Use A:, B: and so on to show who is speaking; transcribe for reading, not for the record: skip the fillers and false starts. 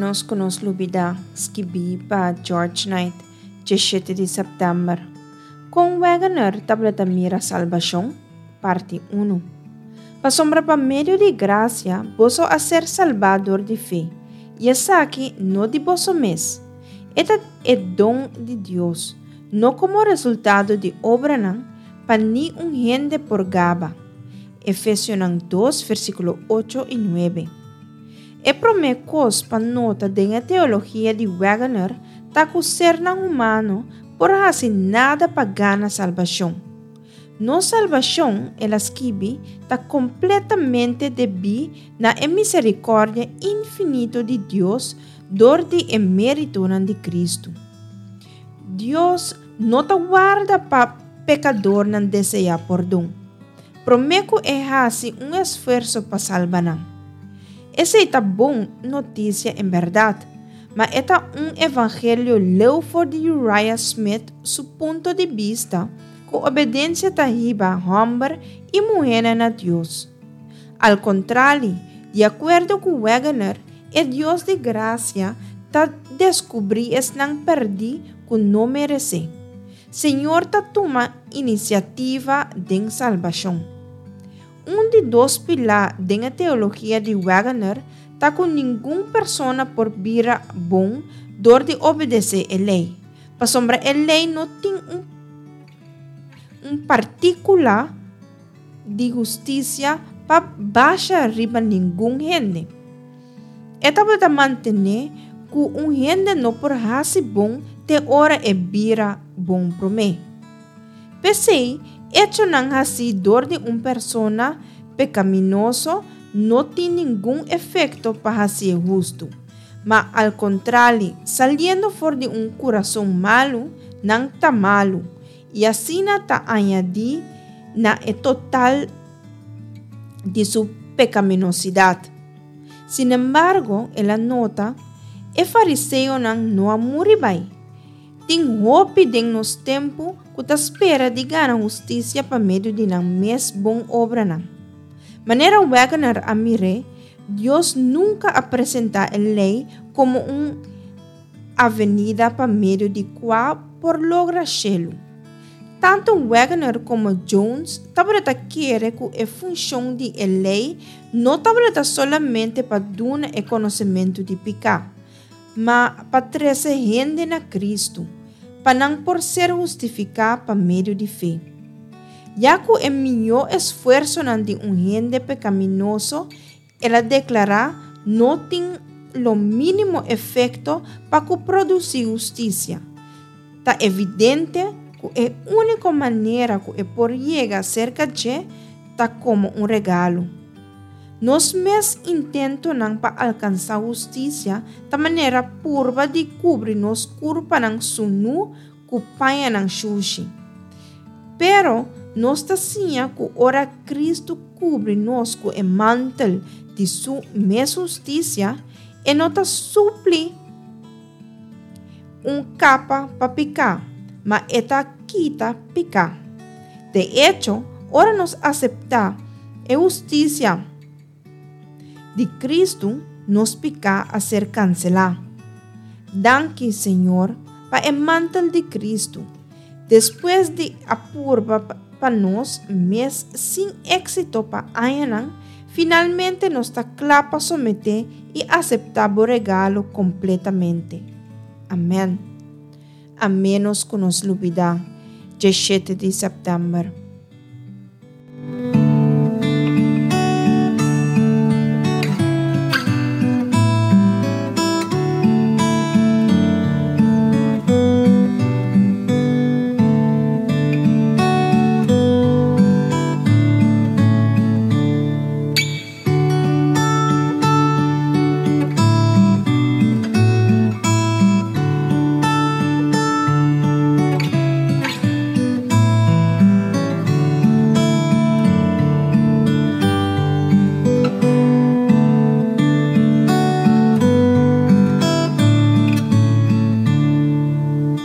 A: ménos ku nos lubidá, skibí pa George Knight, 17 di sèptèmber. Kon Waggoner tabata mira salbashon? Parti unu. Pasobra pa medio di grasia boso a ser salbá dor di fe, i esaki no di boso mes. E ta e don di Dios, no komo resultado di obranan, pa ni un hende por gaba. Efesionan dos, versíkulo ocho i nuebe. E promé kos pa nota den e teologia di Waggoner ta ku sernan humano por hasi nada pa gana salbashon. Nos salbashon, el a skibi, ta kompletamente debí na e miserikòrdia infinito di Dios dor di e méritonan di Kristu. Dios no ta warda pa pekadornan deseá pordon, promé ku e hasi un esfuerso pa salba nan. Esei ta bon notisia en bèrdat, ma e ta un evangelio leu for di Uriah Smith su punto di bista ku obedensia ta hiba hòmber i muhénan na Dios. Al kontrali, di akuerdo ku Waggoner, e Dios di grasia ta deskubrí esnan pèrdí ku no meresé. Señor ta tuma inisiativa den salbashon. Un di dos pilá den e teologia di Waggoner ta ku ningun persona por bira bon dor di obedesé e lei. Pasobra e lei no tin un un partíkula di hustisia pa basha riba ningun hende. E tabata mantené ku un hende no por hasi bon te ora e bira bon promé. P'esei, echonan hasí dor di un persona pekaminoso no tin ningun efekto pa hasié hustu. Ma al kontrali, saliendo for di un kurason malu, nan ta malu, i asina ta añadí na e total di su pekaminosidat. Sinembargo, el a nota, e fariseonan no a muri bai. Tin hopi den nos tempu ku ta spera di gana hustisia pa medio di nan mes bon obranan. Manera Waggoner a mir'é, Dios nunka a presentá e lei komo un avenida pa medio di kua por logra shelu. Tantu Waggoner komo Jones tabata kere ku e funshon di e lei no tabata solamente pa duna e konosementu di piká, ma pa trese hende na Kristu, pa nan por ser hustifiká pa medio di fe. Ya ku e mihó esfuersonan di un hende pekaminoso, el a deklará, no tin lo mínimo efekto pa ku produsí hustisia, ta evidente ku e úniko manera ku e por yega serka dje ta komo un regalo. Nos mes intentonan pa alkansá hustisia ta manera purba di kubri nos kurpanan sunú ku pañanan shushi. Pero nos ta siña ku ora Kristu kubri nos ku e mantel di su mes hustisia, e no ta supli un kapa pa piká, ma e ta kita piká. De echo, ora nos aseptá e hustisia di Kristu, nos piká a ser kanselá. Danki, Señor, pa e mantel di Kristu. Despues di a purba pa nos mes sin éksito pa añanan, finalmente nos ta kla pa someté i aseptá bo regalo kompletamente. Amèn. A ménos ku nos lubidá, djeshete di sèptèmber.